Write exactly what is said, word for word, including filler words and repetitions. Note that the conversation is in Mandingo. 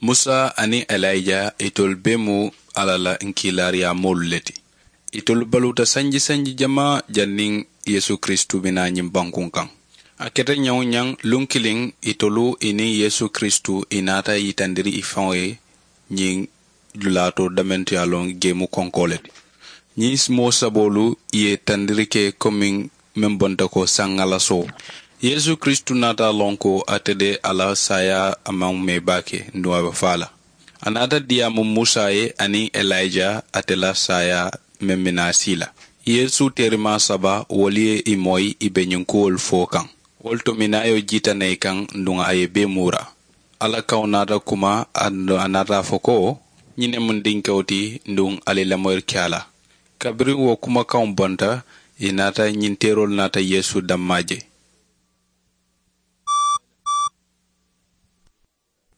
Musa aniŋ elija itolu bee mu alla la nkiilaariyaamoolu le ti. Itolu baluuta sanji sanji jamaa janniŋ yeesu kiristu bi naa ñiŋ bankuŋ kaŋ. A keta ñaŋ-wo-ñaŋ luŋ kiliŋ, itolu i niŋ yeesu kiristu i naata yitandiri i faŋo ye ñiŋ dulaa to damentu ye a loŋ geemu konkoo le ti. Ñiŋ moo saboolu ye tandiri ke komiŋ meŋ bonta ko saŋ alasoo. Yeesu kiristu naata a loŋ ko ate de a la saayaa a maŋ mee baake nduŋ a be faa la. A naata diyaamu musa ye aniŋ elija ate la saayaa meŋ bi naa sii la. Yeesu teerimaa saba wolu ye i moyi i be ñiŋ kuwolu fo kaŋ. Wolu to minaayo jiita na i kaŋ nduŋ a ye bee muura. Alla kaŋo naata kuma a naata a fo ko, ñiŋ ne mu n dinkewo ti nduŋ ali lamoyiri ke a la. Kabiriŋ wo kumakaŋo bonta, i naata ñiŋ teeroolu naata yeesu dammaa je.